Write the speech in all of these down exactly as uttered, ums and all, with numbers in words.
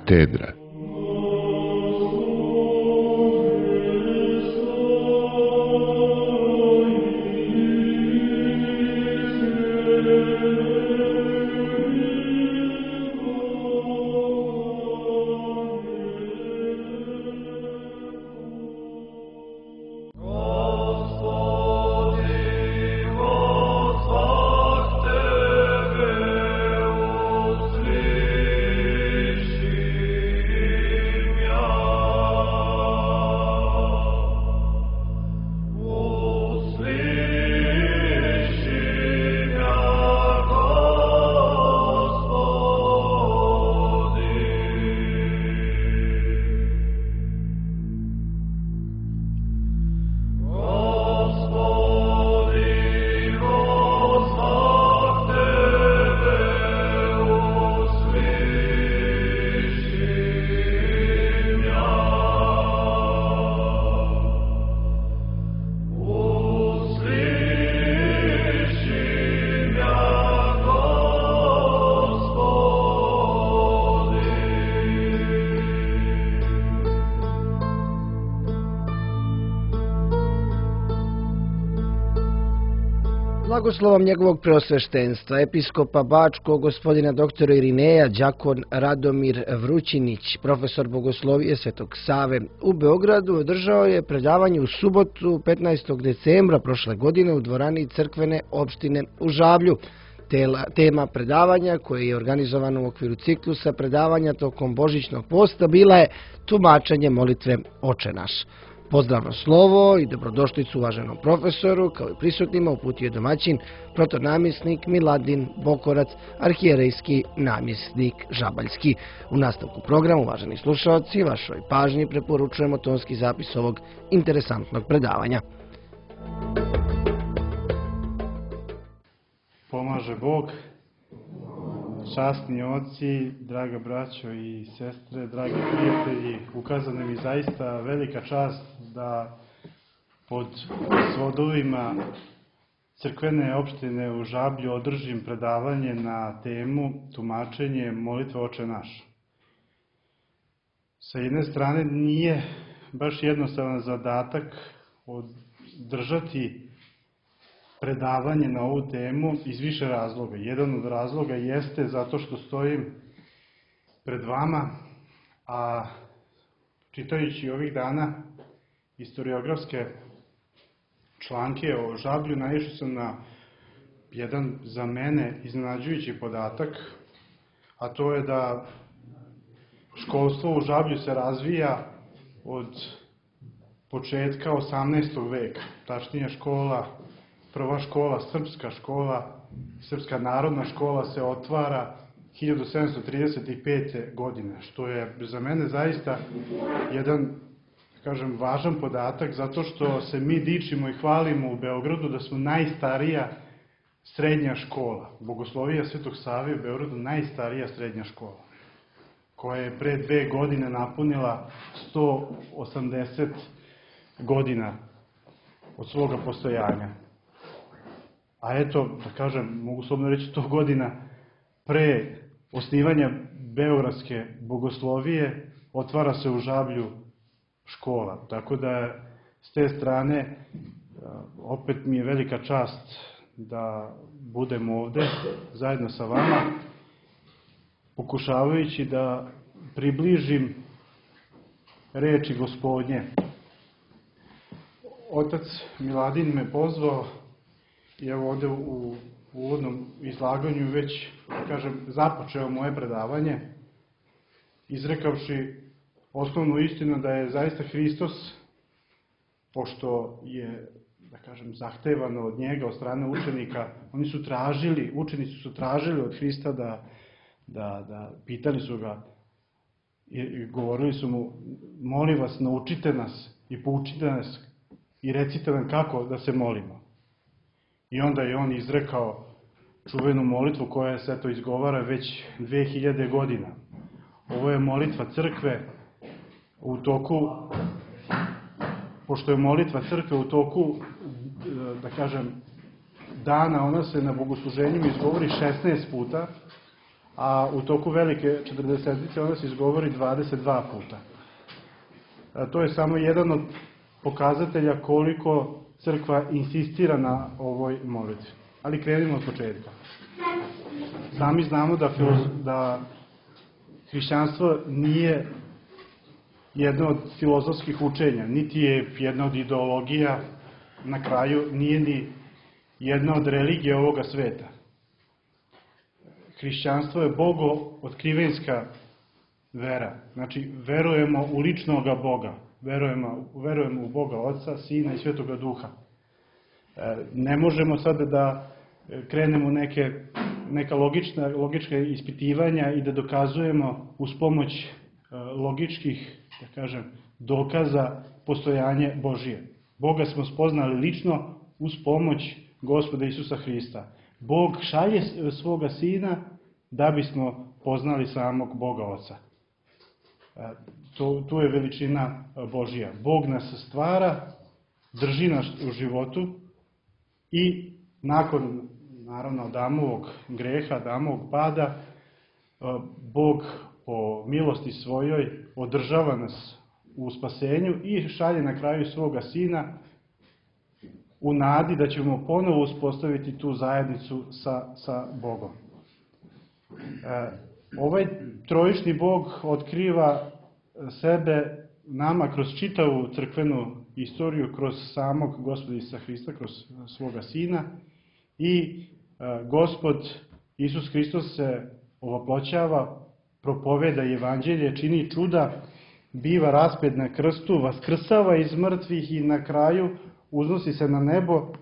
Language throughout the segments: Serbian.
katedra. Blagoslovom njegovog preosveštenstva, episkopa Bačkog, gospodina doktora Irineja, đakon Radomir Vrućinić, profesor bogoslovije Svetog Save u Beogradu, održao je predavanje u subotu petnaestog decembra prošle godine u dvorani crkvene opštine u Žablju. Tema predavanja, koje je organizovano u okviru ciklusa predavanja tokom božićnog posta, bila je tumačenje molitve Oče naš. Pozdravno slovo i dobrodošlicu uvaženom profesoru, kao i prisutnima, uputio je domaćin, protonamjesnik Miladin Bokorac, arhijerejski namjesnik Žabaljski. U nastavku programa, uvaženi slušalci, vašoj pažnji preporučujemo tonski zapis ovog interesantnog predavanja. Pomaže Bog, časni oci, draga braćo i sestre, dragi prijatelji, ukazana mi zaista velika čast da pod svodovima crkvene opštine u Žablju održim predavanje na temu tumačenje molitve Oče naš. Sa jedne strane nije baš jednostavan zadatak održati predavanje na ovu temu iz više razloga. Jedan od razloga jeste zato što stojim pred vama, a čitajući ovih dana historiografske članke o Žablju, naišao sam na jedan za mene iznenađujući podatak, a to je da školstvo u Žablju se razvija od početka osamnaestog veka. Tačnije škola, prva škola, srpska škola, srpska narodna škola se otvara hiljadu sedamsto trideset pete. godine, što je za mene zaista jedan, kažem, važan podatak, zato što se mi dičimo i hvalimo u Beogradu da smo najstarija srednja škola. Bogoslovija Svetog Save u Beogradu najstarija srednja škola, koja je pre dve godine napunila sto osamdeset godina od svoga postojanja. A eto, da kažem, mogu slobodno reći sto godina pre osnivanja Beogradske bogoslovije otvara se u Žablju škola. Tako da s te strane opet mi je velika čast da budem ovde zajedno sa vama, pokušavajući da približim reči Gospodnje. Otac Miladin me pozvao i evo ovde u uvodnom izlaganju već, da kažem, započeo moje predavanje, izrekavši osnovnu istinu da je zaista Hristos, pošto je, da kažem, zahtevano od njega, od strane učenika, oni su tražili, učenici su tražili od Hrista da, da, da pitali su ga i govorili su mu, molim vas, naučite nas i poučite nas i recite nam kako da se molimo. I onda je on izrekao čuvenu molitvu koja se to izgovara već dve hiljade godina. Ovo je molitva crkve u toku, pošto je molitva crkve u toku, da kažem, dana, ona se na bogosluženjima izgovori šesnaest puta, a u toku velike četrdesetice ona se izgovori dvadeset dva puta. To je samo jedan od pokazatelja koliko crkva insistira na ovoj molitvi. Ali krenimo od početka. Sami znamo da, da hrišćanstvo nije jedno od filozofskih učenja, niti je jedna od ideologija, na kraju nije ni jedna od religija ovoga sveta. Hrišćanstvo je bogo otkrivenska vera. Znači, verujemo u ličnoga Boga. Verujemo, verujemo u Boga Oca, Sina i Svetoga Duha. Ne možemo sada da krenemo neke, neka logična, logička ispitivanja i da dokazujemo uz pomoć logičkih, da kažem, dokaza postojanje Božije. Boga smo spoznali lično uz pomoć Gospoda Isusa Hrista. Bog šalje svoga Sina da bismo poznali samog Boga Oca. To, tu je veličina Božija. Bog nas stvara, drži nas u životu i nakon, naravno, Adamovog greha, Adamovog pada, Bog po milosti svojoj održava nas u spasenju i šalje na kraju svoga Sina u nadi da ćemo ponovo uspostaviti tu zajednicu sa, sa Bogom. E, ovaj trojični Bog otkriva sebe nama kroz čitavu crkvenu istoriju, kroz samog Gospoda Isusa Hrista, kroz svoga Sina i e, Gospod Isus Hristos se ovoploćava, propoveda evanđelje, čini čuda, biva raspet na krstu, vaskrsava iz mrtvih i na kraju uznosi se na nebo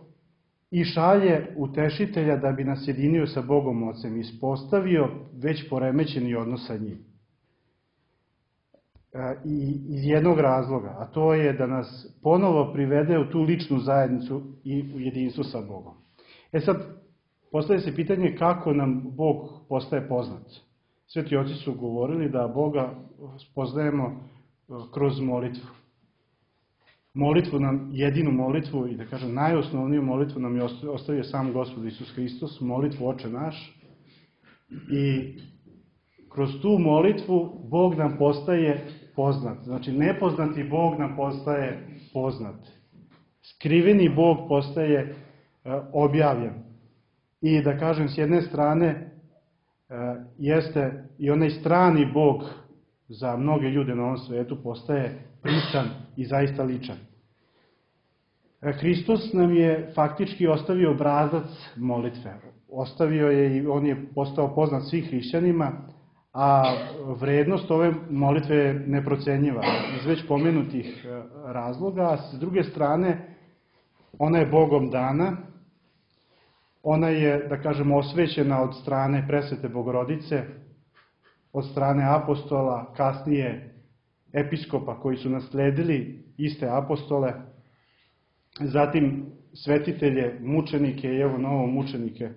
i šalje utešitelja da bi nas jedinio sa Bogom Ocem, ispostavio već poremećeni odnos sa njim. I iz jednog razloga, a to je da nas ponovo privede u tu ličnu zajednicu i u jedinstvo sa Bogom. E sad, postavlja se pitanje kako nam Bog postaje poznat. Sveti oci su govorili da Boga spoznajemo kroz molitvu. Molitvu nam, jedinu molitvu i da kažem najosnovniju molitvu nam je ostavio sam Gospod Isus Hristos, molitvu Oče naš. I kroz tu molitvu Bog nam postaje poznat. Znači nepoznati Bog nam postaje poznat. Skriveni Bog postaje objavljen. I da kažem s jedne strane jeste i onaj strani Bog za mnoge ljude na ovom svetu postaje prisan i zaista ličan. Hristos nam je faktički ostavio obrazac molitve. Ostavio je i on je postao poznat svih hrišćanima, a vrednost ove molitve je neprocenjiva iz već pomenutih razloga, a s druge strane ona je Bogom dana, ona je, da kažem, osvećena od strane Presvete Bogorodice, od strane apostola, kasnije episkopa koji su nasledili iste apostole, zatim svetitelje, mučenike i evo novo mučenike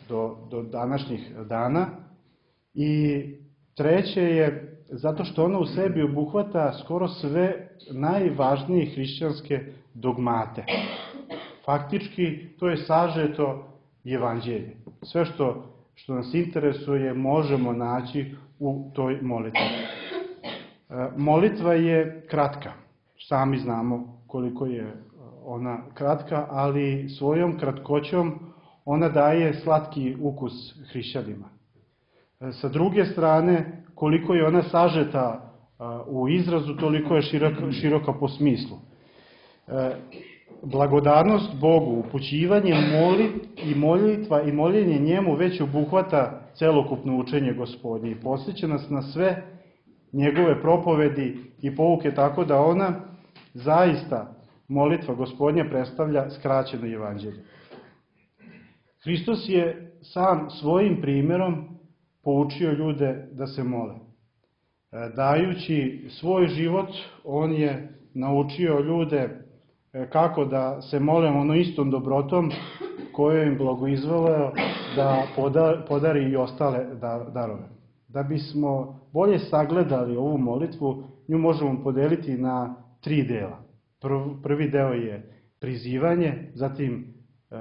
do, do današnjih dana. I treće je zato što ona u sebi obuhvata skoro sve najvažnije hrišćanske dogmate. Faktički to je sažeto evanđelje. Sve što, što nas interesuje možemo naći u toj molitvi. Molitva je kratka. Sami znamo koliko je ona kratka, ali svojom kratkoćom ona daje slatki ukus hrišćanima. Sa druge strane, koliko je ona sažeta u izrazu, toliko je široka, široka po smislu. Blagodarnost Bogu, upućivanje moli, i molitva i moljenje njemu već obuhvata celokupno učenje Gospodnje i podsjeća nas na sve njegove propovedi i pouke, tako da ona zaista, molitva Gospodnja, predstavlja skraćeno evanđelje. Hristos je sam svojim primjerom poučio ljude da se mole. Dajući svoj život, on je naučio ljude kako da se mole ono istom dobrotom koju im blagoizvoleo da podari i ostale darove. Da bismo bolje sagledali ovu molitvu, nju možemo podeliti na tri dela. Prvi deo je prizivanje, zatim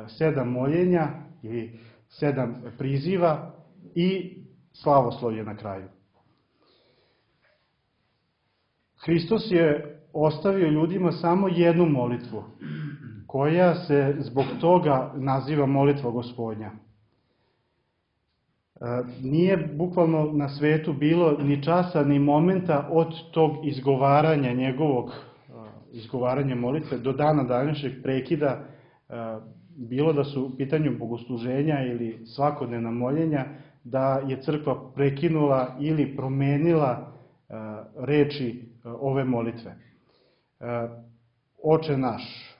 sedam moljenja ili sedam priziva i slavoslovlje na kraju. Hristos je ostavio ljudima samo jednu molitvu, koja se zbog toga naziva molitva Gospodnja. Nije bukvalno na svetu bilo ni časa ni momenta od tog izgovaranja njegovog, izgovaranja molitve do dana današnjeg prekida, bilo da su u pitanju bogosluženja ili svakodnevna moljenja, da je crkva prekinula ili promenila reči ove molitve. Oče naš,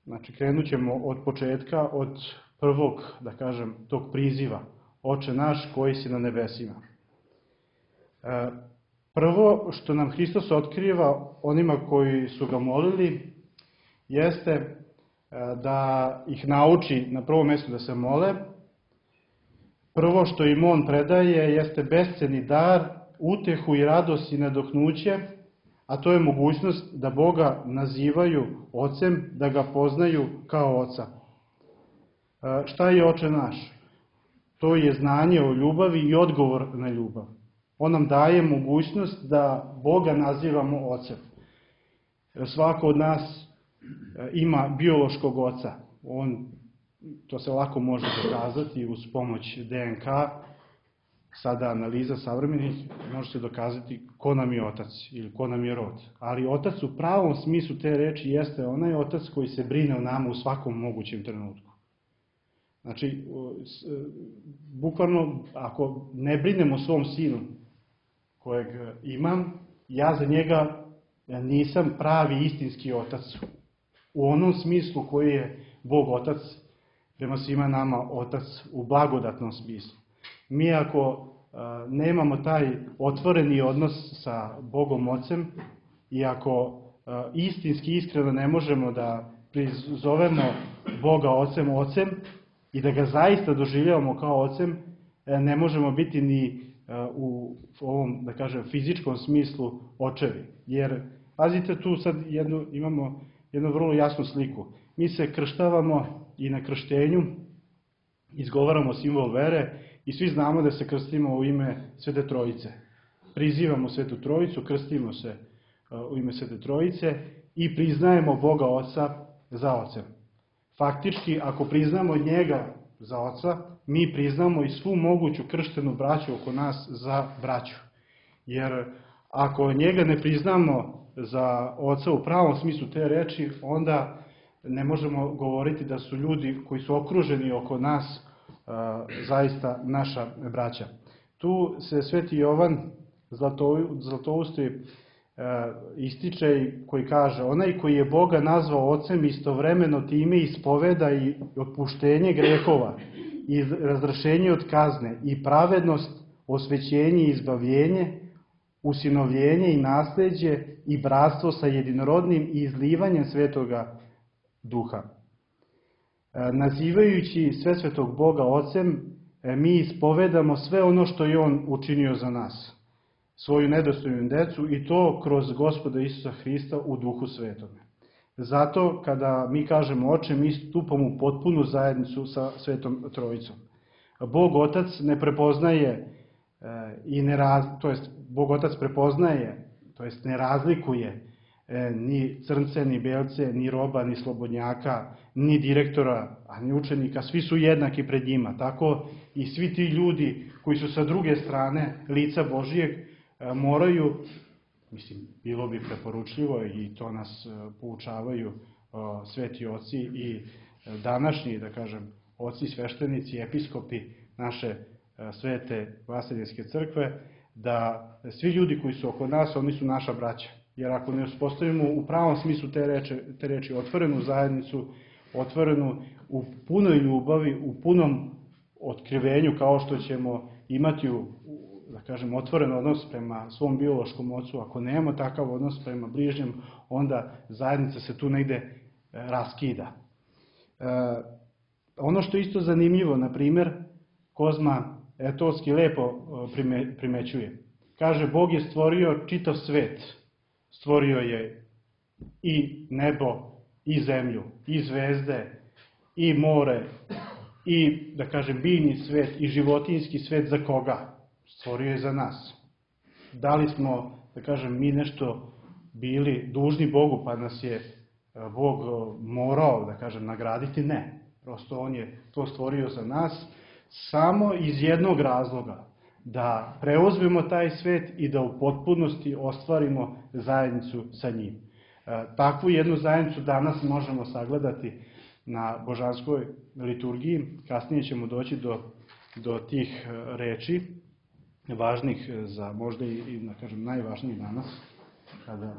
znači krenut ćemo od početka, od prvog, da kažem, tog priziva. Oče naš koji si na nebesima. Prvo što nam Hristos otkriva onima koji su ga molili, jeste da ih nauči na prvom mjestu da se mole. Prvo što im on predaje jeste besceni dar, utehu i radost i nadoknuće, a to je mogućnost da Boga nazivaju Ocem, da ga poznaju kao Oca. Šta je Oče naš? To je znanje o ljubavi i odgovor na ljubav. On nam daje mogućnost da Boga nazivamo Ocem. Svako od nas ima biološkog oca. On, to se lako može dokazati uz pomoć de en ka. Sada analiza savremenih može se dokazati ko nam je otac ili ko nam je rod. Ali otac u pravom smislu te reči jeste onaj otac koji se brine o nama u svakom mogućem trenutku. Znači, bukvalno, ako ne brinem o svom sinu kojeg imam, ja za njega nisam pravi istinski otac. U onom smislu koji je Bog otac, prema svima nama otac u blagodatnom smislu. Mi ako nemamo taj otvoreni odnos sa Bogom Ocem i ako istinski, iskreno ne možemo da prizovemo Boga Ocem Ocem, i da ga zaista doživljavamo kao Ocem, ne možemo biti ni u ovom, da kažem, fizičkom smislu očevi. Jer, pazite, tu sad jednu, imamo jednu vrlo jasnu sliku. Mi se krštavamo i na krštenju izgovaramo simbol vere i svi znamo da se krstimo u ime Svete Trojice. Prizivamo Svetu Trojicu, krstimo se u ime Svete Trojice i priznajemo Boga Oca za Ocem. Faktički, ako priznamo njega za Oca, mi priznamo i svu moguću krštenu braću oko nas za braću. Jer ako njega ne priznamo za Oca u pravom smislu te reči, onda ne možemo govoriti da su ljudi koji su okruženi oko nas zaista naša braća. Tu se Sveti Jovan Zlatousti ističe koji kaže: onaj koji je Boga nazvao Ocem istovremeno time ispoveda i otpuštenje grehova i razrešenje od kazne i pravednost, osvećenje i izbavljenje, usinovljenje i nasleđe i bratstvo sa jedinorodnim i izlivanjem Svetoga Duha. Nazivajući Svesvetog Boga Ocem, mi ispovedamo sve ono što je On učinio za nas, svoju nedostojnu decu, i to kroz Gospoda Isusa Hrista u Duhu Svetome. Zato kada mi kažemo Oče, mi stupamo u potpunu zajednicu sa Svetom Trojicom. Bog Otac ne prepoznaje i ne raz, to jest Bog Otac prepoznaje, to jest ne razlikuje ni crnce, ni belce, ni roba, ni slobodnjaka, ni direktora, a ni učenika. Svi su jednaki pred njima. Tako i svi ti ljudi koji su sa druge strane lica Božijeg moraju, mislim, bilo bi preporučljivo i to nas poučavaju sveti oci i današnji, da kažem, oci sveštenici, episkopi naše svete Vaseljenske crkve, da svi ljudi koji su oko nas, oni su naša braća. Jer ako ne uspostavimo u pravom smislu te reči, te reči otvorenu zajednicu, otvorenu u punoj ljubavi, u punom otkrivenju, kao što ćemo imati u, da kažem, otvoren odnos prema svom biološkom ocu, ako nemamo takav odnos prema bližnjem, onda zajednica se tu negde raskida. E, ono što je isto zanimljivo, na primjer, Kozma Etovski lepo prime, primećuje. Kaže, Bog je stvorio čitav svet. Stvorio je i nebo, i zemlju, i zvezde, i more, i, da kažem, biljni svet, i životinjski svet. Za koga? stvorio je za nas. Da li smo, da kažem, mi nešto bili dužni Bogu, pa nas je Bog morao, da kažem, nagraditi? Ne. Prosto on je to stvorio za nas samo iz jednog razloga, da preuzmemo taj svet i da u potpunosti ostvarimo zajednicu sa njim. Takvu jednu zajednicu danas možemo sagledati na božanskoj liturgiji. Kasnije ćemo doći do, do tih reči, važnih za možda i, da kažem, najvažnijih danas, kada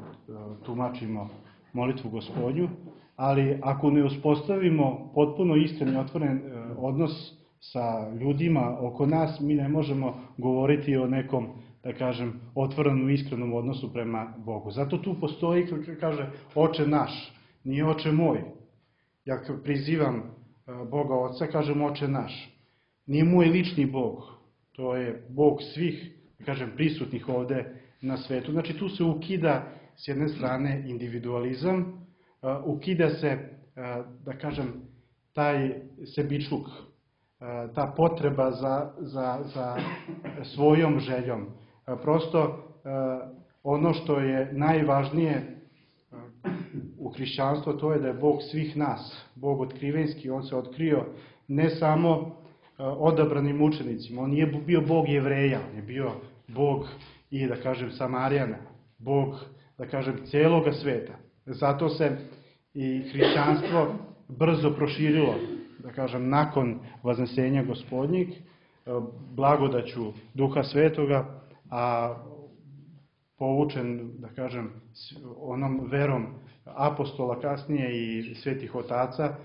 tumačimo molitvu Gospodnju, ali ako ne uspostavimo potpuno iskren i otvoren odnos sa ljudima oko nas, mi ne možemo govoriti o nekom, da kažem, otvorenom i iskrenom odnosu prema Bogu. Zato tu postoji, kaže, Oče naš, nije Oče moj. Ja prizivam Boga Oca, kažem Oče naš. Nije moj lični Bog, to je Bog svih, da kažem, prisutnih ovde na svetu. Znači tu se ukida s jedne strane individualizam, ukida se, da kažem, taj sebičluk, ta potreba za, za, za svojom željom. Prosto ono što je najvažnije u hrišćanstvu, to je da je Bog svih nas, Bog otkrivenski. On se otkrio ne samo odabranim učenicima, on nije bio Bog Jevreja, on je bio Bog i, da kažem, Samarijana, Bog, da kažem, celoga sveta. Zato se i hrišćanstvo brzo proširilo, da kažem, nakon vaznesenja Gospodnjeg, blagodaću Duha Svetoga, a povučen, da kažem, onom verom apostola kasnije i svetih otaca,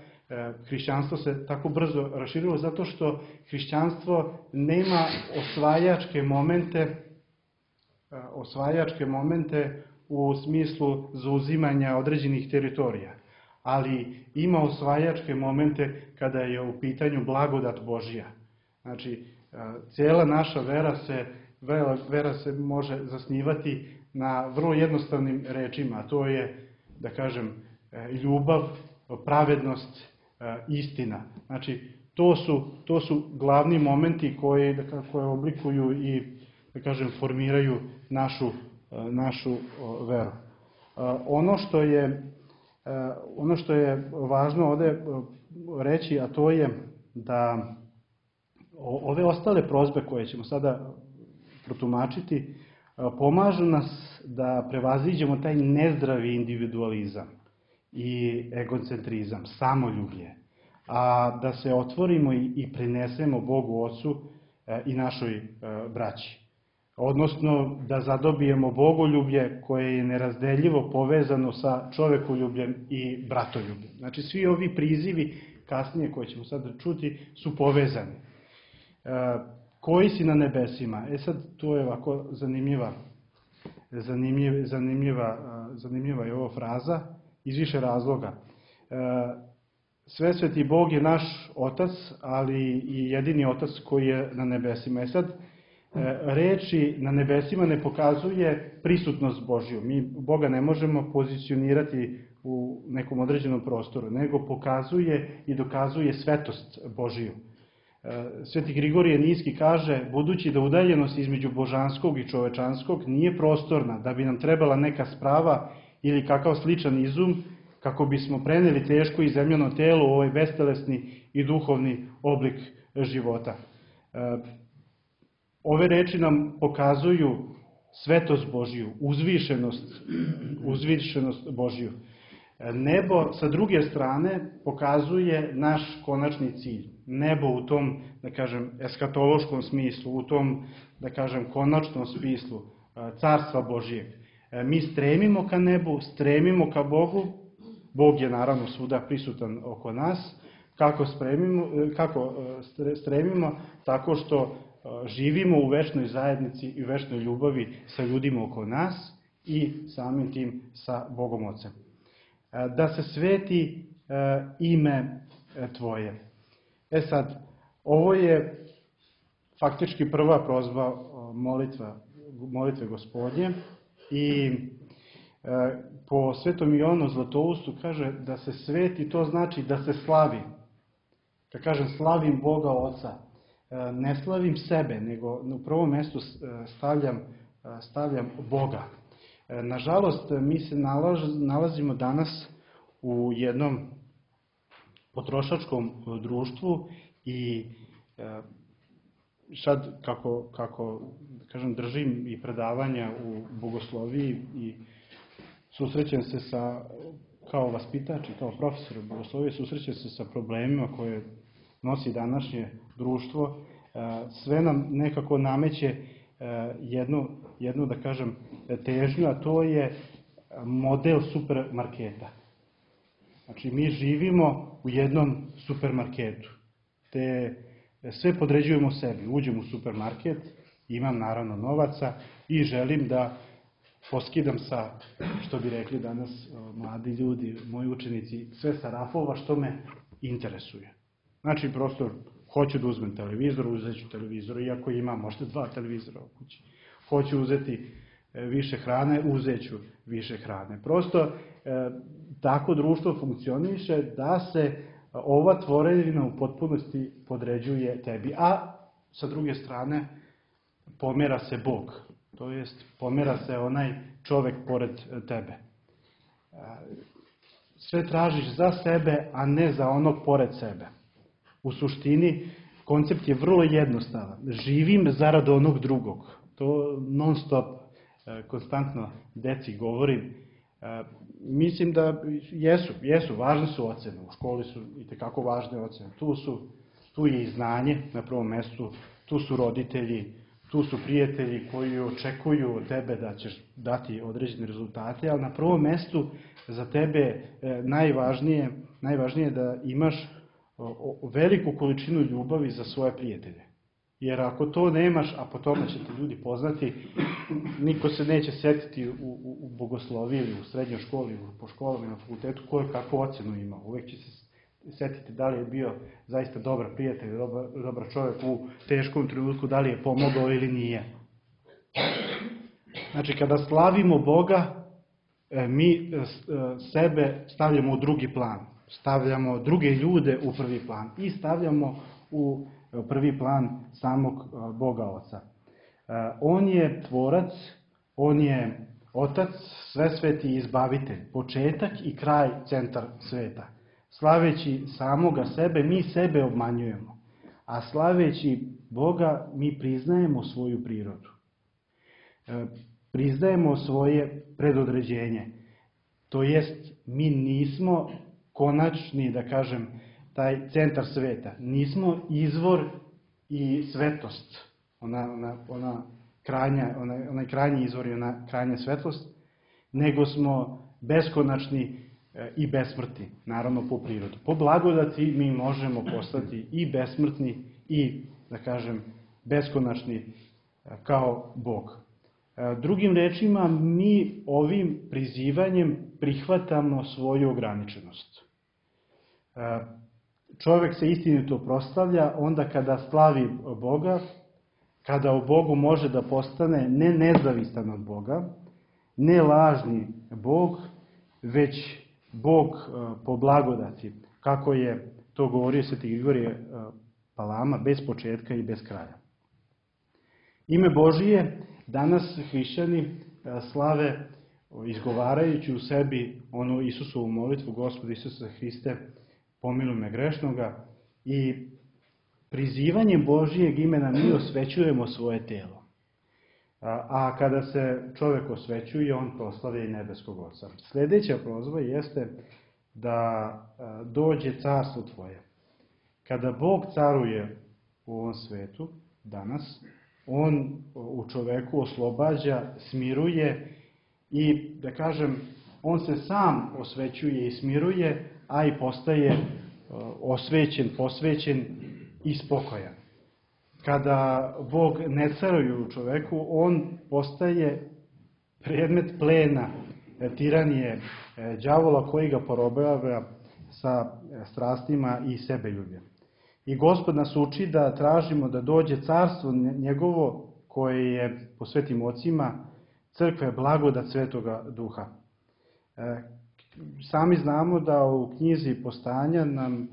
hrišćanstvo se tako brzo raširilo zato što hrišćanstvo nema osvajačke momente, osvajačke momente u smislu zauzimanja određenih teritorija, ali ima osvajačke momente kada je u pitanju blagodat Božja. Znači, cijela naša vera se, vera se može zasnivati na vrlo jednostavnim rečima, a to je, da kažem, ljubav, pravednost, istina. Znači, to su, to su glavni momenti koji, da, koje oblikuju i, da kažem, formiraju našu, našu veru. Ono što je, ono što je važno ovde reći, a to je da ove ostale prozbe koje ćemo sada protumačiti pomažu nas da prevaziđemo taj nezdravi individualizam i egocentrizam, samoljublje, a da se otvorimo i prinesemo Bogu Ocu i našoj braći. Odnosno da zadobijemo bogoljublje koje je nerazdeljivo povezano sa čovekoljubljem i bratoljubljem. Znači svi ovi prizivi kasnije koje ćemo sada čuti su povezani. Koji si na nebesima? E sad, to je ovako zanimljiva, zanimljiva, zanimljiva, zanimljiva je ova fraza iz više razloga. Svesveti Bog je naš Otac, ali i jedini Otac koji je na nebesima. E sad, reči na nebesima ne pokazuje prisutnost Božju. Mi Boga ne možemo pozicionirati u nekom određenom prostoru, nego pokazuje i dokazuje svetost Božiju. Sveti Grigorije Nijski kaže, budući da udaljenost između božanskog i čovečanskog nije prostorna, da bi nam trebala neka sprava ili kakav sličan izum, kako bismo preneli teško i zemljano telo u ovaj bestelesni i duhovni oblik života. Ove reči nam pokazuju svetost Božiju, uzvišenost, uzvišenost Božiju. Nebo, sa druge strane, pokazuje naš konačni cilj. Nebo u tom, da kažem, eskatološkom smislu, u tom, da kažem, konačnom smislu carstva Božijeg. Mi stremimo ka nebu, stremimo ka Bogu. Bog je naravno svuda prisutan oko nas. Kako, spremimo, kako stremimo? Tako što živimo u večnoj zajednici i u večnoj ljubavi sa ljudima oko nas i samim tim sa Bogom Ocem. Da se sveti ime Tvoje. E sad, ovo je faktički prva prozba molitva, molitve Gospodnje i po Svetom Jovanu Zlatoustu kaže da se sveti, to znači da se slavi. Kad kažem slavim Boga Oca, ne slavim sebe, nego u prvom mjestu stavljam, stavljam Boga. Nažalost, mi se nalazimo danas u jednom potrošačkom društvu i sad kako, kako kažem, držim i predavanja u bogosloviji i susrećem se sa, kao vaspitač i kao profesor bogoslovije, susrećem se sa problemima koje nosi današnje društvo. Sve nam nekako nameće jednu, jednu, da kažem, težnju, a to je model supermarketa. Znači, mi živimo u jednom supermarketu, te sve podređujemo sebi. Uđem u supermarket, imam naravno novaca i želim da poskidam sa, što bi rekli danas mladi ljudi, moji učenici, sve sa rafova što me interesuje. Znači, prosto, hoću da uzmem televizor, uzet ću televizor, iako imam možda dva televizora u kući. Hoću uzeti više hrane, uzet ću više hrane. Prosto, tako društvo funkcioniše da se ova tvorevina u potpunosti podređuje tebi. A sa druge strane, pomera se Bog. To jest, pomera se onaj čovek pored tebe. Sve tražiš za sebe, a ne za onog pored sebe. U suštini, koncept je vrlo jednostavan. Živim zarad onog drugog. To non stop, konstantno deci govorim. Mislim da jesu, jesu, važne su ocene. U školi su itekako važne ocene. Tu su, tu je i znanje na prvom mestu, tu su roditelji, tu su prijatelji koji očekuju od tebe da ćeš dati određene rezultate, ali na prvom mestu za tebe najvažnije, najvažnije je da imaš veliku količinu ljubavi za svoje prijatelje. Jer ako to nemaš, a po tome će te ljudi poznati, niko se neće setiti u, u, u bogosloviji ili u srednjoj školi, po školama i na fakultetu, ko je kakvu ocenu imao. Uvek će se setiti da li je bio zaista dobar prijatelj, dobar, dobar čovjek u teškom trenutku, da li je pomogao ili nije. Znači, kada slavimo Boga, mi sebe stavljamo u drugi plan. Stavljamo druge ljude u prvi plan i stavljamo u prvi plan samog Boga Oca. On je tvorac, on je Otac, svesveti izbavitelj, početak i kraj, centar sveta. Slaveći samoga sebe, mi sebe obmanjujemo, a slaveći Boga, mi priznajemo svoju prirodu. Priznajemo svoje predodređenje. To jest, mi nismo konačni, da kažem, taj centar sveta. Nismo izvor i svetost, ona, ona, ona krajnja, ona, onaj krajnji izvor i ona krajnja svetlost, nego smo beskonačni i besmrtni, naravno po prirodu. Po blagodati mi možemo postati i besmrtni i, da kažem, beskonačni kao Bog. Drugim rečima, mi ovim prizivanjem prihvatamo svoju ograničenost. Čovjek se istinito proslavlja onda kada slavi Boga, kada u Bogu može da postane ne nezavistan od Boga, ne lažni Bog, već Bog po blagodati, kako je to govorio sveti Grigorije Palama, bez početka i bez kraja. Ime Božije danas hrišćani slave izgovarajući u sebi onu Isusovu molitvu, Gospod Isuse Hriste, pomiluj me grešnoga, i prizivanjem Božijeg imena mi osvećujemo svoje telo. A, a kada se čovjek osvećuje, on proslavlja i nebeskog Oca. Sljedeća prozba jeste da a, dođe carstvo tvoje. Kada Bog caruje u ovom svetu, danas, on u čoveku oslobađa, smiruje i, da kažem, on se sam osvećuje i smiruje, a i postaje osvećen, posvećen i spokojan. Kada Bog ne caruje u čoveku, on postaje predmet plena, tiranije đavola koji ga porobljava sa strastima i sebeljubljem. I Gospod nas uči da tražimo da dođe carstvo njegovo koje je po svetim ocima crkve blagodat Svetoga Duha. Sami znamo da u knjizi Postanja nam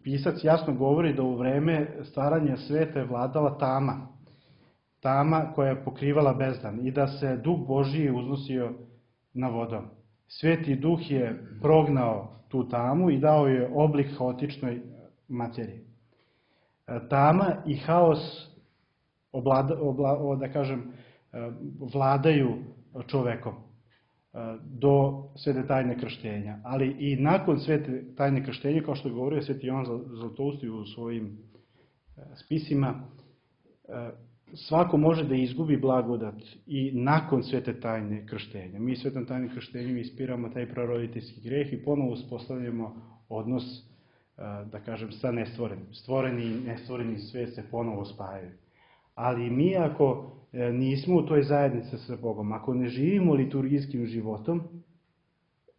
pisac jasno govori da u vreme stvaranja sveta je vladala tama, tama koja je pokrivala bezdan i da se Duh Božiji uznosio na vodom. Sveti Duh je prognao tu tamu i dao je oblik haotičnoj materiji. Tama i haos oblada, obla, da kažem, vladaju čovekom do svete tajne krštenja. Ali i nakon svete tajne krštenja, kao što je govorio sveti Jovan Zlatousti u svojim spisima, svako može da izgubi blagodat i nakon svete tajne krštenja. Mi svetom tajne krštenjem ispiramo taj praroditeljski greh i ponovo uspostavljamo odnos, da kažem, sa nestvorenim. Stvoreni i nestvoreni svet se ponovo spajaju. Ali mi ako nismo u toj zajednici sa Bogom, ako ne živimo liturgijskim životom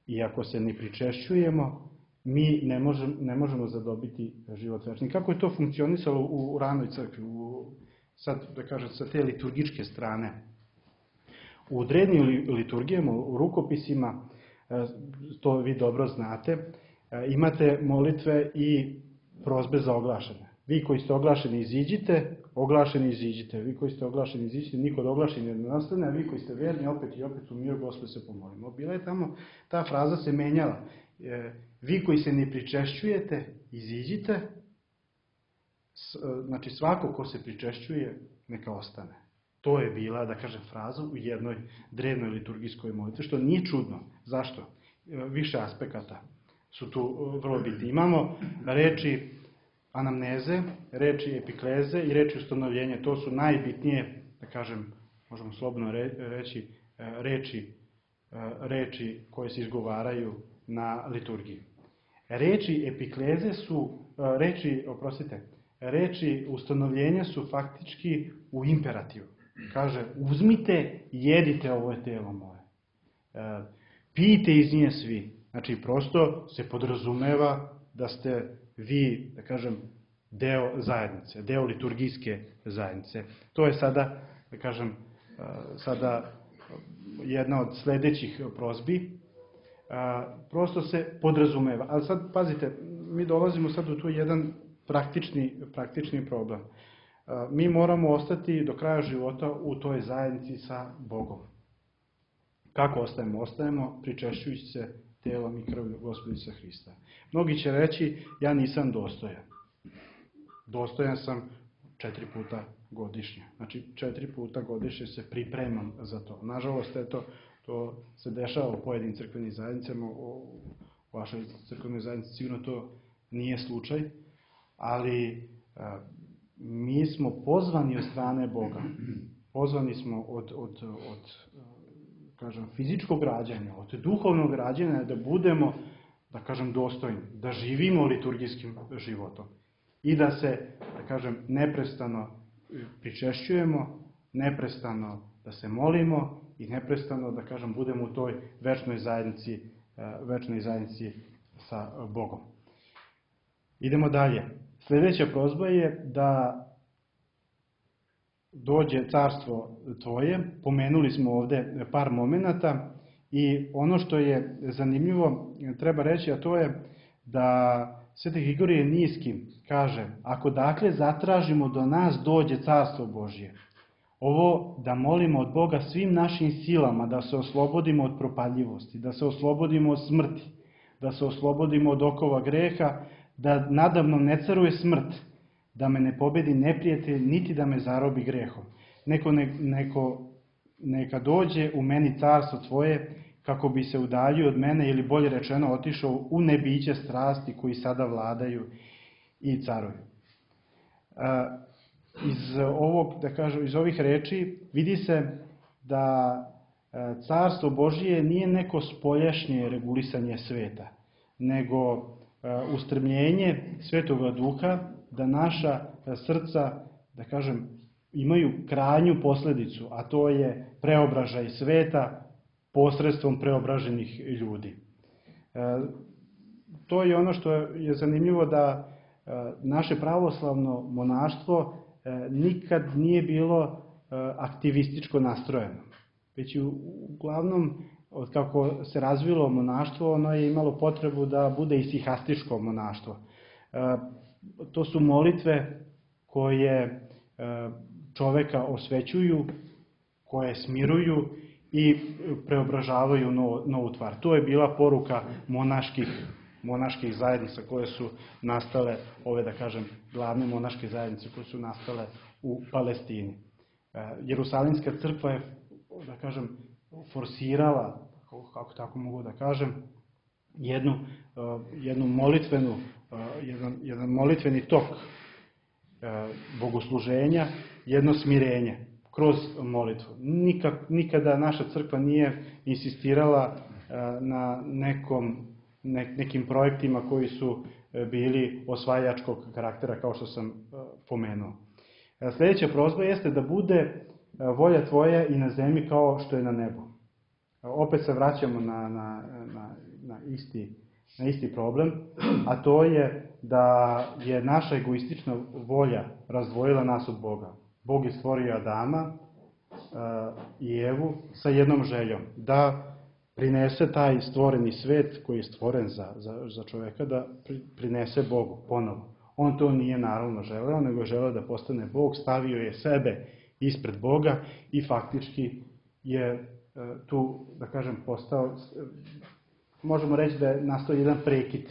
i ako se ne pričešćujemo, mi ne možemo, ne možemo zadobiti život večni. Kako je to funkcionisalo u, u ranoj crkvi, u, sad da kažem sa te liturgičke strane? U drevnim liturgijama, u rukopisima, to vi dobro znate, imate molitve i prozbe za oglašene. Vi koji ste oglašeni iziđite, oglašeni iziđite. Vi koji ste oglašeni iziđite, niko od oglašeni ne nastane, a vi koji ste verni opet i opet u miru Gospod se pomolimo. Bila je tamo, ta fraza se menjala. Vi koji se ne pričešćujete, iziđite. Znači svako ko se pričešćuje, neka ostane. To je bila, da kažem, fraza u jednoj drevnoj liturgijskoj molitvi, što nije čudno. Zašto? Više aspekata su tu vrlo bitni. Imamo reči anamneze, reči epikleze i reči ustanovljenja. To su najbitnije, da kažem, možemo slobodno reći, reči, reči koje se izgovaraju na liturgiji. Reči epikleze su, reči, oprostite, reči ustanovljenja su faktički u imperativu. Kaže, uzmite i jedite, ovo je telo moje. Pijte iz nje svi. Znači, prosto se podrazumeva da ste vi, da kažem, deo zajednice, deo liturgijske zajednice. To je sada, da kažem, sada jedna od sledećih prozbi. Prosto se podrazumeva. Ali sad, pazite, mi dolazimo sad u tu jedan praktični, praktični problem. Mi moramo ostati do kraja života u toj zajednici sa Bogom. Kako ostajemo? Ostajemo pričešćujući se telom i krvlju Gospodića Hrista. Mnogi će reći, ja nisam dostojan. Dostojan sam četiri puta godišnje. Znači, četiri puta godišnje se pripremam za to. Nažalost, eto, to se dešava u pojedinim crkvenim zajednicama, u vašoj crkvenoj zajednici sigurno to nije slučaj, ali a, mi smo pozvani od strane Boga. Pozvani smo od, od, od kažem, fizičkog rađanja, od duhovnog rađanja, da budemo, da kažem, dostojni, da živimo liturgijskim životom i da se, da kažem, neprestano pričešćujemo, neprestano da se molimo i neprestano, da kažem, budemo u toj večnoj zajednici, večnoj zajednici sa Bogom. Idemo dalje. Sljedeća prozba je da dođe carstvo tvoje. Pomenuli smo ovde par momenata i ono što je zanimljivo treba reći, a to je da Sveti Grigorije Niski kaže, ako dakle zatražimo do nas dođe carstvo Božje, ovo da molimo od Boga svim našim silama, da se oslobodimo od propadljivosti, da se oslobodimo od smrti, da se oslobodimo od okova greha, da nadamnom ne caruje smrt, da me ne pobedi neprijatelj, niti da me zarobi grehom. Neko, ne, neko neka dođe u meni carstvo tvoje, kako bi se udaljio od mene, ili bolje rečeno otišao u nebiće strasti koji sada vladaju i caruju. Iz ovog, da kažem, iz ovih reči vidi se da carstvo Božije nije neko spoljašnje regulisanje sveta, nego ustremljenje Svetoga Duha da naša srca, da kažem, imaju krajnju posledicu, a to je preobražaj sveta posredstvom preobraženih ljudi. To je ono što je zanimljivo, da naše pravoslavno monaštvo nikad nije bilo aktivističko nastrojeno. Već uglavnom, od kako se razvilo monaštvo, ono je imalo potrebu da bude isihastičko monaštvo. To su molitve koje čoveka osvećuju, koje smiruju i preobražavaju novu tvar. To je bila poruka monaških, monaških zajednica koje su nastale, ove da kažem glavne monaške zajednice koje su nastale u Palestini. Jerusalimska crkva je, da kažem, forsirala, kako tako mogu da kažem, jednu, jednu molitvenu, jedan, jedan molitveni tok bogosluženja, jedno smirenje kroz molitvu. Nikak, nikada naša crkva nije insistirala na nekom, ne, nekim projektima koji su bili osvajačkog karaktera, kao što sam pomenuo. Sljedeća prozba jeste da bude volja tvoja i na zemlji kao što je na nebu. Opet se vraćamo na, na, na, na, isti, na isti problem, a to je da je naša egoistična volja razdvojila nas od Boga. Bog je stvorio Adama i Evu sa jednom željom, da prinese taj stvoreni svet koji je stvoren za, za, za čoveka, da prinese Bogu ponovo. On to nije naravno želeo, nego je želeo da postane Bog, stavio je sebe ispred Boga i faktički je tu, da kažem, postao, možemo reći da je nastao jedan prekid,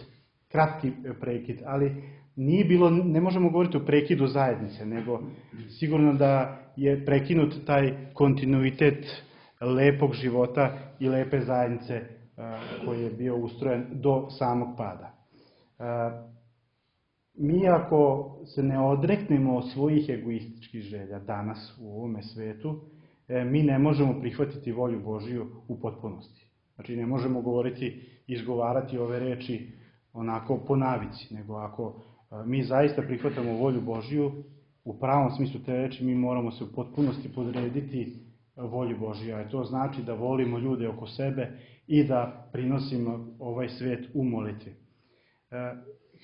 kratki prekid, ali nije bilo, ne možemo govoriti o prekidu zajednice, nego sigurno da je prekinut taj kontinuitet lepog života i lepe zajednice koji je bio ustrojen do samog pada. Mi ako se ne odreknemo od svojih egoističkih želja danas u ovome svetu, mi ne možemo prihvatiti volju Božiju u potpunosti. Znači ne možemo govoriti, izgovarati ove reči onako po navici, nego ako mi zaista prihvatamo volju Božiju, u pravom smislu te reči mi moramo se u potpunosti podrediti volji Božije, a to znači da volimo ljude oko sebe i da prinosimo ovaj svet u molitvi.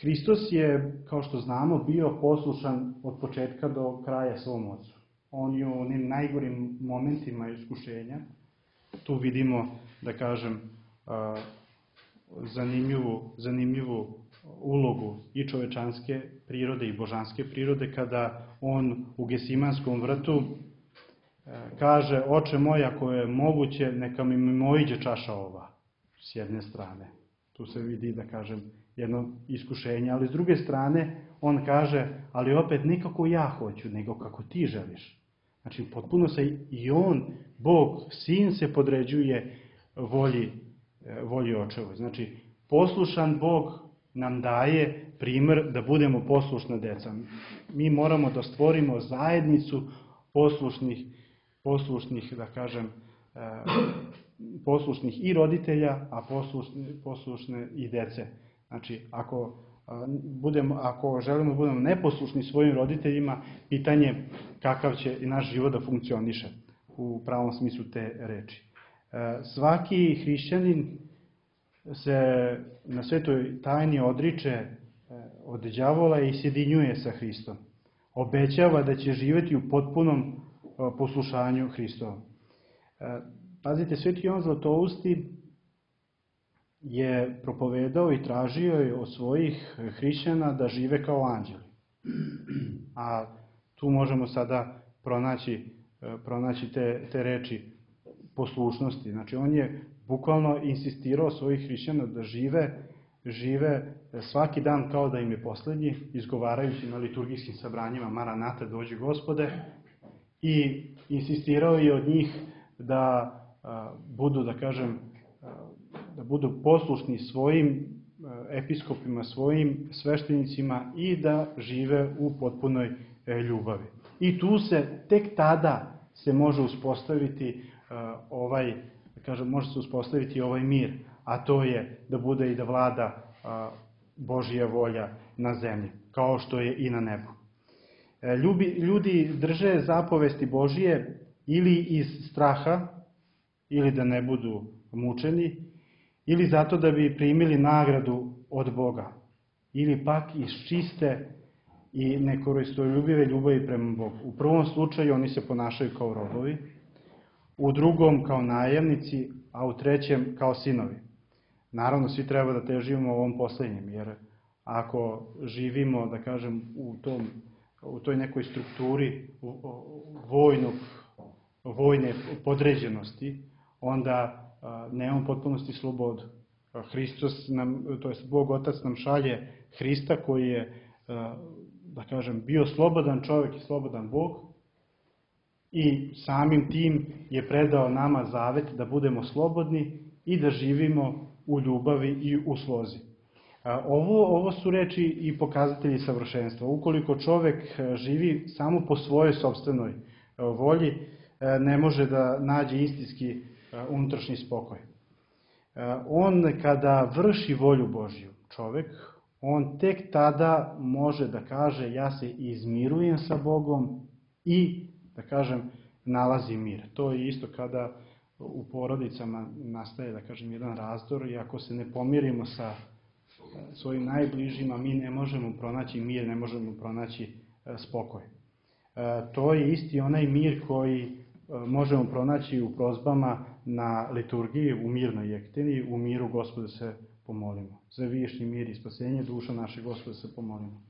Hristos je, kao što znamo, bio poslušan od početka do kraja svom Ocu. On je u onim najgorim momentima iskušenja, tu vidimo, da kažem, zanimljivu, zanimljivu ulogu i čovečanske prirode i božanske prirode, kada on u Gesimanskom vrtu kaže: Oče moj, ako je moguće, neka mi mimoiđe čaša ova, s jedne strane. Tu se vidi, da kažem, jedno iskušenje, ali s druge strane on kaže: ali opet ne kako ja hoću, nego kako ti želiš. Znači, potpuno se i on, Bog, Sin, se podređuje volji, volji očevoj. Znači, poslušan Bog nam daje primer da budemo poslušna deca. Mi moramo da stvorimo zajednicu poslušnih, poslušnih, da kažem, poslušnih i roditelja, a poslušne, poslušne i dece. Znači, ako, budemo, ako želimo da budemo neposlušni svojim roditeljima, pitanje kakav će i naš život da funkcioniše u pravom smislu te reči. Svaki hrišćanin se na svetoj tajni odriče od đavola i sjedinjuje sa Hristom. Obećava da će živjeti u potpunom poslušanju Hristovom. Pazite, sveti Jovan Zlatousti je propovedao i tražio od svojih hrišćana da žive kao anđeli. A tu možemo sada pronaći, pronaći te, te reči poslušnosti. Znači, on je bukvalno insistirao svojih hrišćana da žive, žive svaki dan kao da im je poslednji, izgovarajući na liturgijskim sabranjima Maranata, dođi Gospode, i insistirao je od njih da a, budu, da kažem, a, da budu poslušni svojim episkopima, svojim sveštenicima i da žive u potpunoj ljubavi. I tu se, tek tada se može uspostaviti ovaj, da kažem, može se uspostaviti ovaj mir, a to je da bude i da vlada Božja volja na zemlji, kao što je i na nebu. Ljubi, ljudi drže zapovesti Božije ili iz straha, ili da ne budu mučeni, ili zato da bi primili nagradu od Boga, ili pak iz čiste i nekoristoljubive ljubavi prema Bogu. U prvom slučaju oni se ponašaju kao robovi, u drugom kao najemnici, a u trećem kao sinovi. Naravno, svi treba da težimo ovom poslednjem, jer ako živimo, da kažem, u, tom, u toj nekoj strukturi vojnog, vojne podređenosti, onda nemamo potpunosti slobodu. Hristos nam, to jest Bog Otac nam šalje Hrista koji je, da kažem, bio slobodan čovjek i slobodan Bog i samim tim je predao nama zavet da budemo slobodni i da živimo u ljubavi i u slozi. Ovo, ovo su reči i pokazatelji savršenstva. Ukoliko čovjek živi samo po svojoj sopstvenoj volji, ne može da nađe istinski unutrašnji spokoj. On kada vrši volju Božju, čovjek, on tek tada može da kaže ja se izmirujem sa Bogom i, da kažem, nalazi mir. To je isto kada u porodicama nastaje, da kažem, jedan razdor i ako se ne pomirimo sa svojim najbližima, mi ne možemo pronaći mir, ne možemo pronaći spokoj. To je isti onaj mir koji možemo pronaći u prozbama na liturgiji, u mirnoj jektini, u miru Gospoda se pomolimo. Za višnji mir i spasenje duša naše Gospoda se pomolimo.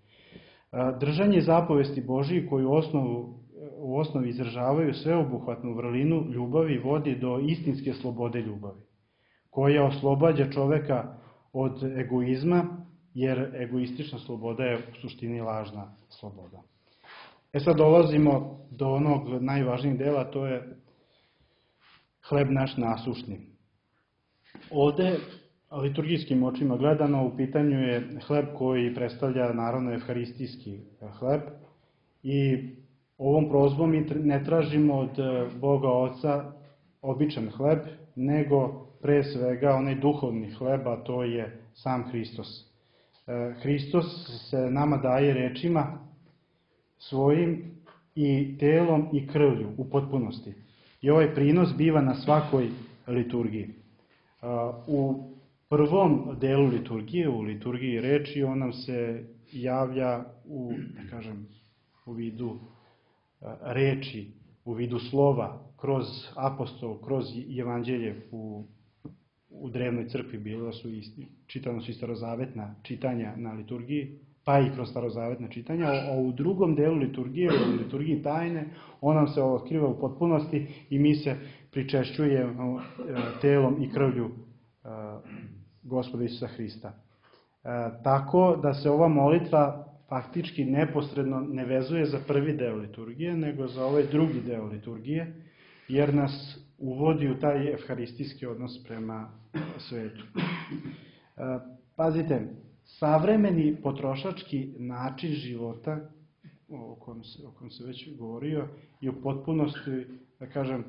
Držanje zapovesti Božiji koji u, osnovu, u osnovi izražavaju sveobuhvatnu vrlinu ljubavi vodi do istinske slobode ljubavi, koja oslobađa čoveka od egoizma, jer egoistična sloboda je u suštini lažna sloboda. E sad dolazimo do onog najvažnijeg dela, to je hleb naš nasušni. Ovde, liturgijskim očima gledano, u pitanju je hleb koji predstavlja naravno evharistijski hleb i ovom prozbom mi ne tražimo od Boga Oca običan hleb, nego pre svega onaj duhovni hleb, a to je sam Hristos. Hristos se nama daje rečima svojim i telom i krvlju u potpunosti. I ovaj prinos biva na svakoj liturgiji. U prvom delu liturgije, u liturgiji reči, on nam se javlja u, da kažem, u vidu reči, u vidu slova, kroz apostol, kroz evanđelje u, u drevnoj crkvi bilo su i, čitano su i starozavetna čitanja na liturgiji, pa i kroz starozavetna čitanja, a u drugom delu liturgije, u liturgiji tajne, on nam se otkriva u potpunosti i mi se pričešćujemo telom i krvlju Gospoda Isusa Hrista. Tako da se ova molitva faktički neposredno ne vezuje za prvi deo liturgije, nego za ovaj drugi deo liturgije, jer nas uvodi u taj evharistijski odnos prema svetu. Pazite, savremeni potrošački način života, o kojem se, o kojem se već govorio, je u potpunosti, da kažem,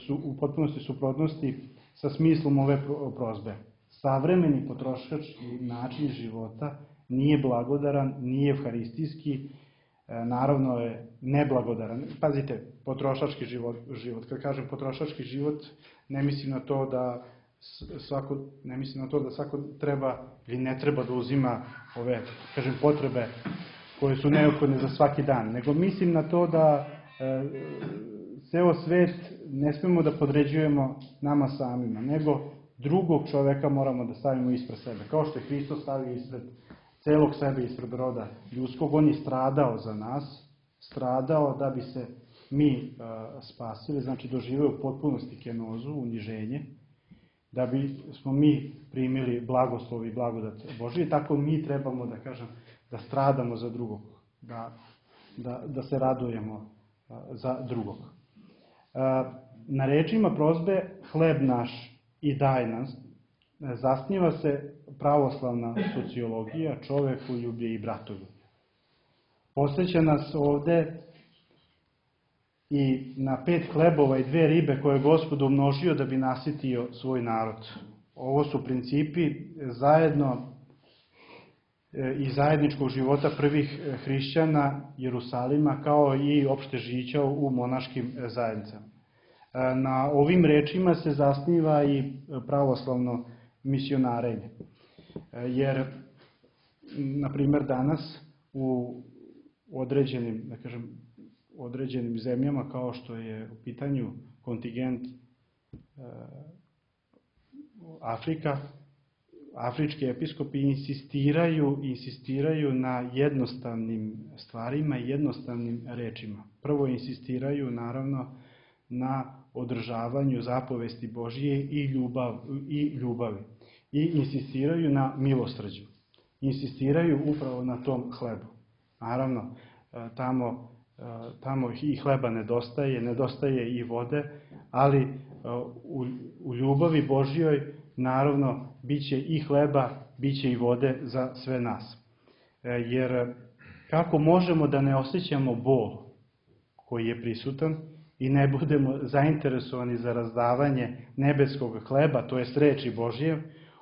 su u potpunosti suprotnosti sa smislom ove prozbe. Savremeni potrošački način života nije blagodaran, nije evharistijski, naravno je neblagodaran. Pazite, potrošački život, život. Kad kažem potrošački život, ne mislim na to da svako, ne mislim na to da svako treba ili ne treba da uzima ove, kažem, potrebe koje su neophodne za svaki dan, nego mislim na to da e, ceo svet ne smemo da podređujemo nama samima, nego drugog čoveka moramo da stavimo ispred sebe. Kao što je Hristos stavio ispred celog sebe, ispred roda ljudskog, on je stradao za nas, stradao da bi se mi e, spasili, znači doživeo u potpunosti kenozu, uniženje, da bi smo mi primili blagoslov i blagodat Božije, tako mi trebamo, da kažem, da stradamo za drugog, da, da, da se radujemo za drugog. Na rečima prozbe hleb naš i daj nas zasniva se pravoslavna sociologija, čovekoljublje i bratoljublje. Posjeća nas ovde i na pet hlebova i dve ribe koje je Gospod umnožio da bi nasitio svoj narod. Ovo su principi zajedno i zajedničkog života prvih hrišćana Jerusalima, kao i opšte žića u monaškim zajednicama. Na ovim rečima se zasniva i pravoslavno misionarenje. Jer, na primjer, danas u određenim, da kažem, određenim zemljama, kao što je u pitanju kontingent Afrika, afrički episkopi insistiraju, insistiraju na jednostavnim stvarima i jednostavnim rečima. Prvo insistiraju naravno na održavanju zapovesti Božije i, ljubav, i ljubavi. I insistiraju na milosrđu. Insistiraju upravo na tom hlebu. Naravno, tamo, tamo i hleba nedostaje, nedostaje i vode, ali u, u ljubavi Božjoj naravno bit će i hleba, bit će i vode za sve nas. Jer kako možemo da ne osjećamo bol koji je prisutan i ne budemo zainteresovani za razdavanje nebeskog hleba, to jest reči Božje,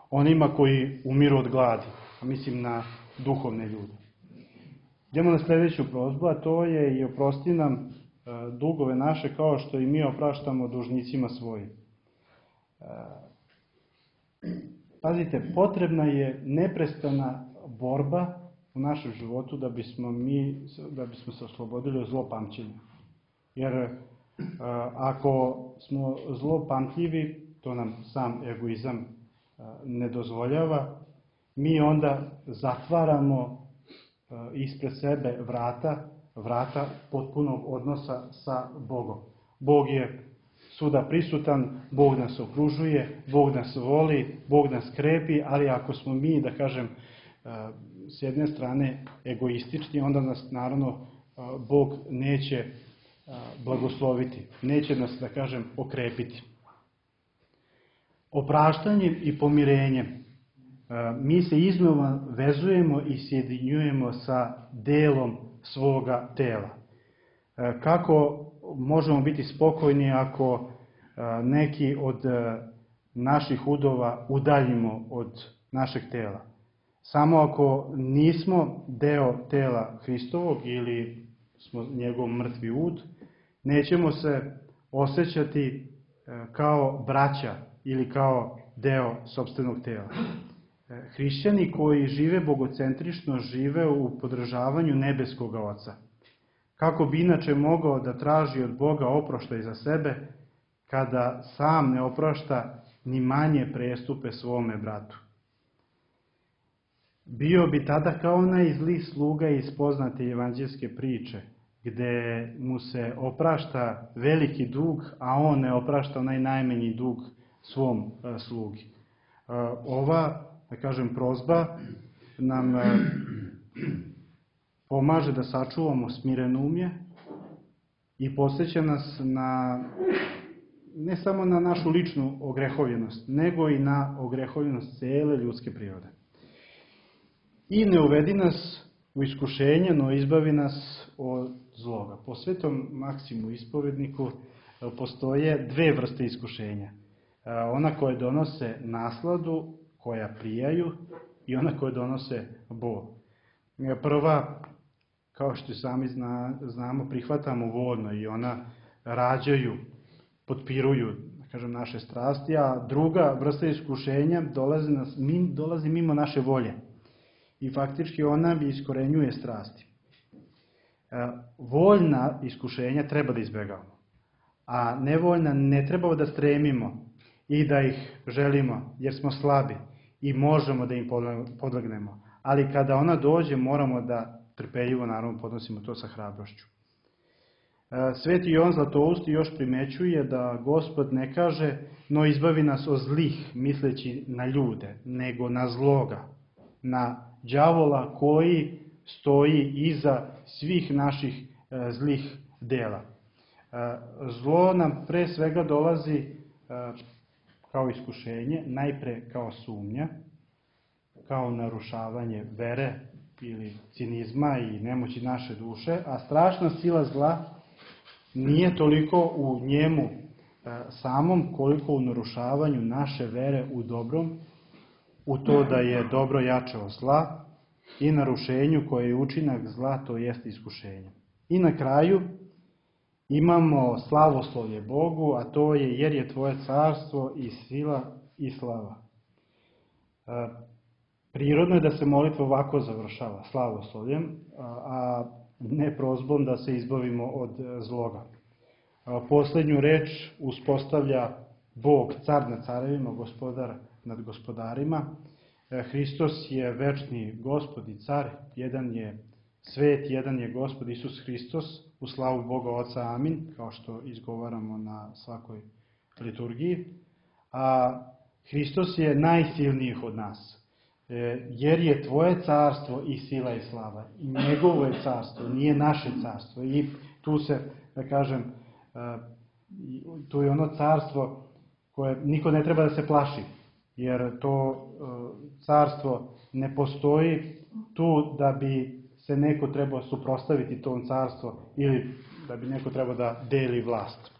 onima koji umiru od gladi, a mislim na duhovne ljude. Idemo na sljedeću prozbu, a to je i oprosti nam dugove naše kao što i mi opraštamo dužnicima svojim. Pazite, potrebna je neprestana borba u našem životu da bismo mi, da bismo se oslobodili od zlopamćenja. Jer ako smo zlopamtljivi, to nam sam egoizam ne dozvoljava, mi onda zatvaramo ispred sebe vrata, vrata potpunog odnosa sa Bogom. Bog je svuda prisutan, Bog nas okružuje, Bog nas voli, Bog nas krepi, ali ako smo mi, da kažem, s jedne strane egoistični, onda nas naravno Bog neće blagosloviti, neće nas, da kažem, okrepiti. Opraštanjem i pomirenjem mi se iznova vezujemo i sjedinjujemo sa delom svoga tela. Kako možemo biti spokojni ako neki od naših udova udaljimo od našeg tela? Samo ako nismo deo tela Hristovog ili smo njegov mrtvi ud, nećemo se osjećati kao braća ili kao deo sopstvenog tela. Hrišćani koji žive bogocentrično žive u podržavanju nebeskog Oca. Kako bi inače mogao da traži od Boga oproštaj za sebe, kada sam ne oprašta ni manje prestupe svome bratu? Bio bi tada kao onaj zli sluga iz poznate evanđelske priče, gde mu se oprašta veliki dug, a on ne oprašta onaj najmanji dug svom slugi. Ova, da kažem, prozba nam pomaže da sačuvamo smirenumlje i podsjeća nas na, ne samo na našu ličnu ogrehovljenost, nego i na ogrehovljenost cele ljudske prirode. I ne uvedi nas u iskušenje, no izbavi nas od zloga. Po Svetom Maksimu ispovedniku postoje dve vrste iskušenja. Ona koje donose nasladu, koja prijaju, i ona koje donose bol. Prva, kao što sami zna, znamo, prihvatamo voljno i ona rađaju, potpiruju, da kažem, naše strasti, a druga vrsta iskušenja dolazi, nas, dolazi mimo naše volje. I faktički ona iskorenjuje strasti. Voljna iskušenja treba da izbegavamo, a nevoljna ne treba da stremimo i da ih želimo, jer smo slabi i možemo da im podlegnemo. Ali kada ona dođe, moramo da trpeljivo, naravno, podnosimo to sa hrabrošću. Sveti Jovan Zlatousti još primećuje da Gospod ne kaže, no izbavi nas od zlih, misleći na ljude, nego na zloga, na đavola koji stoji iza svih naših zlih dela. Zlo nam pre svega dolazi kao iskušenje, najpre kao sumnja, kao narušavanje vere ili cinizma i nemoći naše duše, a strašna sila zla nije toliko u njemu samom, koliko u narušavanju naše vere u dobrom, u to da je dobro jače od zla i narušenju koje je učinak zla, to jest iskušenje. I na kraju imamo slavoslovlje Bogu, a to je jer je tvoje carstvo i sila i slava. Prirodno je da se molitva ovako završava, slavoslovljem, a ne prozbom da se izbavimo od zloga. Poslednju reč uspostavlja Bog, car nad carevima, gospodar nad gospodarima, Hristos je večni Gospod i car, jedan je svet, jedan je Gospod Isus Hristos, u slavu Boga Oca, amin, kao što izgovaramo na svakoj liturgiji. A Hristos je najsilniji od nas, jer je tvoje carstvo i sila i slava. I njegovo je carstvo, nije naše carstvo. I tu se, da kažem, tu je ono carstvo koje niko ne treba da se plaši, jer to carstvo ne postoji tu da bi se neko trebao suprotstaviti tom carstvu ili da bi neko trebao da deli vlast.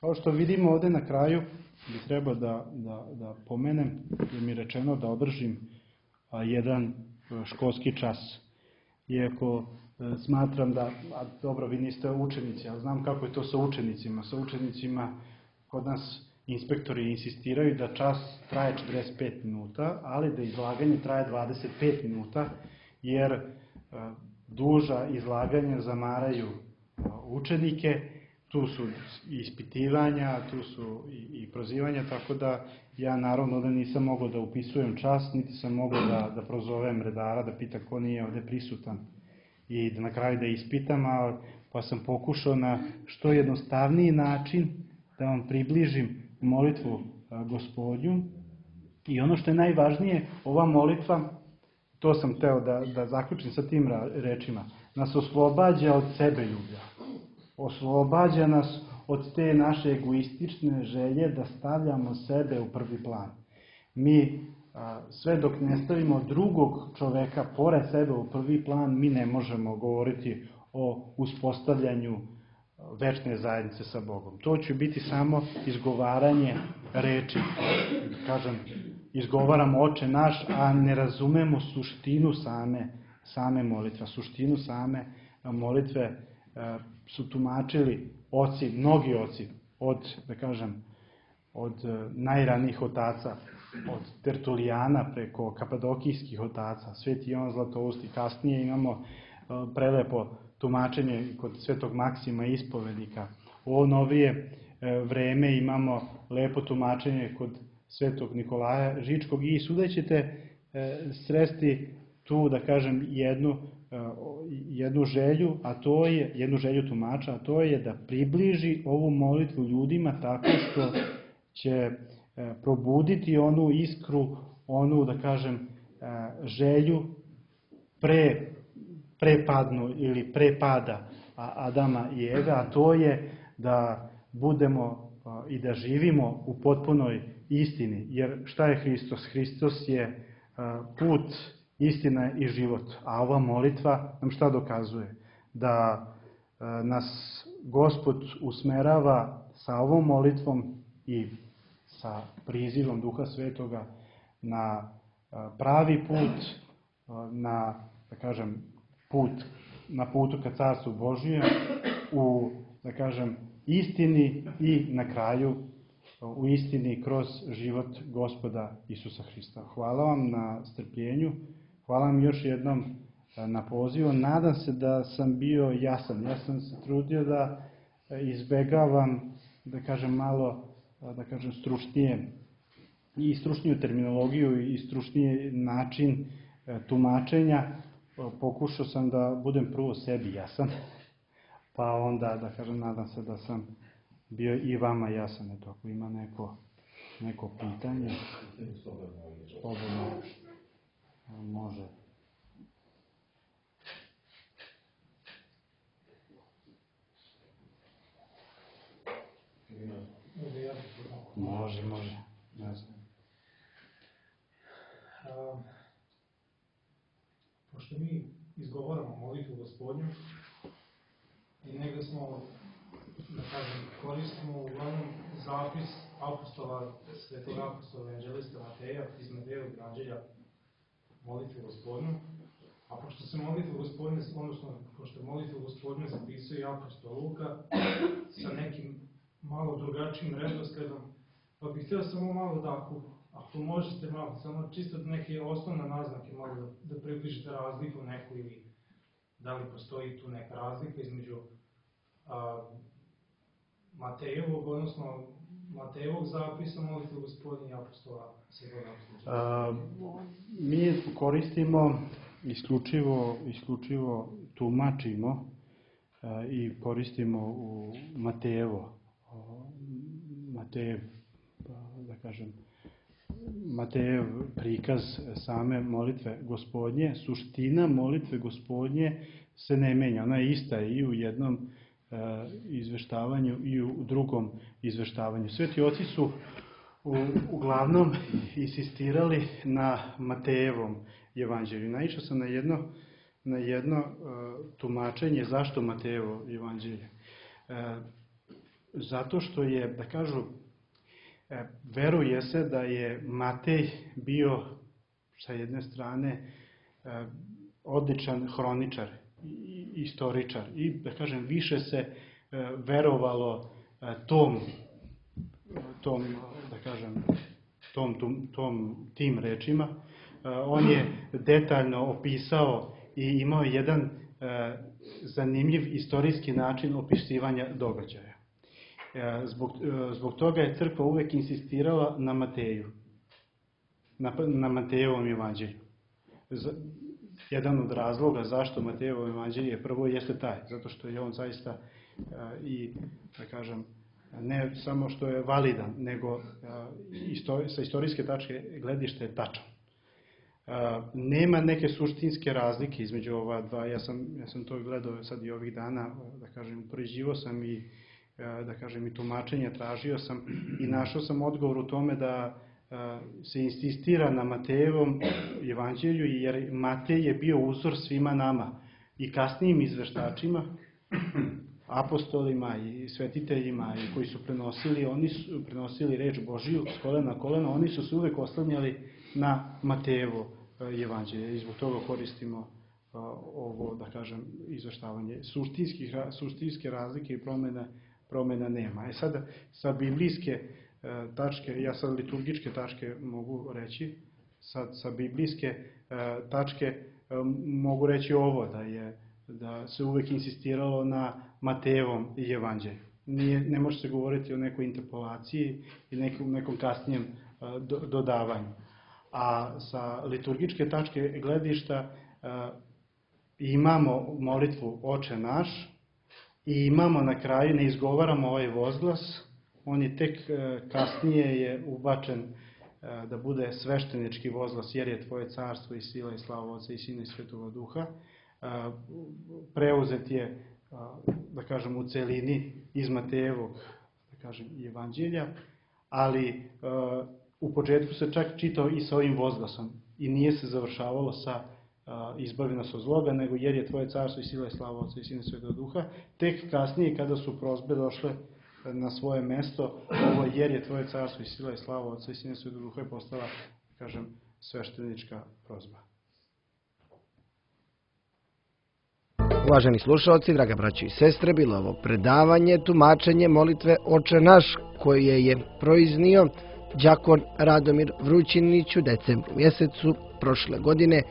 Kao što vidimo ovde na kraju, bi trebao da, da, da pomenem, jer mi je rečeno da održim a, jedan školski čas. Iako a, smatram da, a, dobro, vi niste učenici, ali znam kako je to sa učenicima. Sa učenicima kod nas inspektori insistiraju da čas traje četrdeset pet minuta, ali da izlaganje traje dvadeset pet minuta, jer a, duža izlaganja zamaraju a, učenike. Tu su ispitivanja, tu su i, i prozivanja, tako da ja naravno da nisam mogao da upisujem čas, niti sam mogao da, da prozovem redara, da pita ko nije ovde prisutan i da na kraju da ispitam, a, pa sam pokušao na što jednostavniji način da vam približim molitvu a, Gospodnju. I ono što je najvažnije, ova molitva, to sam teo da, da zaključim sa tim rečima, nas oslobađa od sebe ljublja. Oslobađa nas od te naše egoistične želje da stavljamo sebe u prvi plan. Mi, a, sve dok ne stavimo drugog čoveka pored sebe u prvi plan, mi ne možemo govoriti o uspostavljanju večne zajednice sa Bogom. To će biti samo izgovaranje reči. Kažem, izgovaramo Oče naš, a ne razumemo suštinu same, same molitve. Suštinu same molitve su tumačili oci, mnogi oci, od, da kažem, od najranijih otaca, od Tertulijana preko kapadokijskih otaca, Sveti Jovan Zlatoust i kasnije imamo prelepo tumačenje kod Svetog Maksima Ispovednika. U ovo novije vreme imamo lepo tumačenje kod Svetog Nikolaja Žičkog i svuda ćete sresti tu, da kažem, jednu jednu želju, a to je, jednu želju tumača, a to je da približi ovu molitvu ljudima tako što će probuditi onu iskru, onu, da kažem, želju pre, prepadnu ili prepada Adama i Eve, a to je da budemo i da živimo u potpunoj istini. Jer šta je Hristos? Hristos je put, istina i život. A ova molitva nam šta dokazuje? Da nas Gospod usmerava sa ovom molitvom i sa prizivom Duha Svetoga na pravi put, na, da kažem, put, na putu ka Carstvu Božijem, u, da kažem, istini i na kraju u istini kroz život Gospoda Isusa Hrista. Hvala vam na strpljenju. Hvala vam još jednom na pozivu. Nadam se da sam bio jasan. Ja sam se trudio da izbegavam, da kažem, malo, da kažem, stručnije i stručniju terminologiju i stručniji način tumačenja. Pokušao sam da budem prvo sebi jasan, pa onda, da kažem, nadam se da sam bio i vama jasan. Eto, ako ima neko, neko pitanje, slobodno. Može. Može, može. Ne znam. A, pošto mi izgovaramo molitvu Gospodnju i negde smo, da kažem, koristimo uglavnom zapis apostola, svetog apostola evanđelista Mateja iz Matejevog evanđelja molitvu Gospodnju, a pošto se molitvu Gospodnju, odnosno pošto molitvu Gospodnju zapisuje i apostol Luka sa nekim malo drugačijim redosledom, pa bih htio samo malo da, ako, ako možete malo, samo čisto neke osnovne naznake malo da, da približite razliku neku ili da li postoji tu neka razlika između a, Matejevog, odnosno Matejevog zapisa molitve Gospodnje i apostola Svetog apostola? Mi koristimo isključivo, isključivo tumačimo a, i koristimo u Matejevo, Matejev, da kažem, Matejev prikaz same molitve Gospodnje. Suština molitve Gospodnje se ne menja, ona je ista i u jednom e, izveštavanju i u drugom izveštavanju. Sveti oci su u, uglavnom insistirali na Matejevom evanđelju. Naišao sam na jedno, na jedno e, tumačenje zašto Matejevo evanđelje. E, zato što je, da kažu, e, veruje se da je Matej bio sa jedne strane e, odličan hroničar, istoričar i, da kažem, više se e, verovalo e, tom, tom, da kažem, tom, tom, tom, tim rečima. E, on je detaljno opisao i imao jedan e, zanimljiv istorijski način opisivanja događaja. E, zbog, e, zbog toga je crkva uvek insistirala na Mateju, na, na Matejevom evanđelju. Z, Jedan od razloga zašto Matejevo evanđelje prvo jeste taj, zato što je on zaista a, i, da kažem, ne samo što je validan, nego a, isto, sa istorijske tačke gledište je tačan. A, nema neke suštinske razlike između ova dva, ja sam, ja sam to gledao sad i ovih dana, da kažem, upoređivao sam i, a, da kažem, i tumačenje tražio sam i našao sam odgovor u tome da se insistira na Matejevom evanđelju, jer Matej je bio uzor svima nama i kasnijim izveštačima, apostolima i svetiteljima i koji su prenosili, oni su prenosili reč Božiju s kolena na kolena, oni su se uvek oslanjali na Matejevo evanđelje i zbog toga koristimo ovo, da kažem, izveštavanje. Suštinske razlike i promjena, promjena nema. E sada, sa biblijske tačke, ja sad liturgičke tačke mogu reći, sad sa biblijske tačke mogu reći ovo, da je da se uvek insistiralo na Matejevom evanđelju. Nije, ne može se govoriti o nekoj interpolaciji i nekom, nekom kasnijem do, dodavanju. A sa liturgičke tačke gledišta imamo molitvu Oče naš i imamo na kraju, ne izgovaramo ovaj vozglas, on je tek kasnije je ubačen da bude sveštenički vozglas, jer je Tvoje carstvo i sila i slava Oca i Sina i Svetoga Duha. Preuzet je, da kažem, u celini iz Matejevog, da kažem, evanđelja, ali u početku se čak čitao i sa ovim vozglasom i nije se završavalo sa izbavi nas od zloga, nego jer je Tvoje carstvo i sila i slava Oca i Sina i Svetoga Duha. Tek kasnije, kada su prosbe došle na svoje mesto, ovo jer je Tvoje carstvo i sila i slava Oca i Sina i Svetog Duha je postala, kažem, sveštenička prozba. Uvaženi slušalci, draga braćo i sestre, bilo ovo predavanje, tumačenje molitve Oče naš, koje je proiznio đakon Radomir Vrućinić u decembru mjesecu prošle godine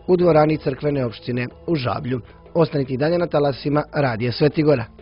u dvorani crkvene opštine u Žablju. Ostanite i dalje na talasima Radija Svetigora.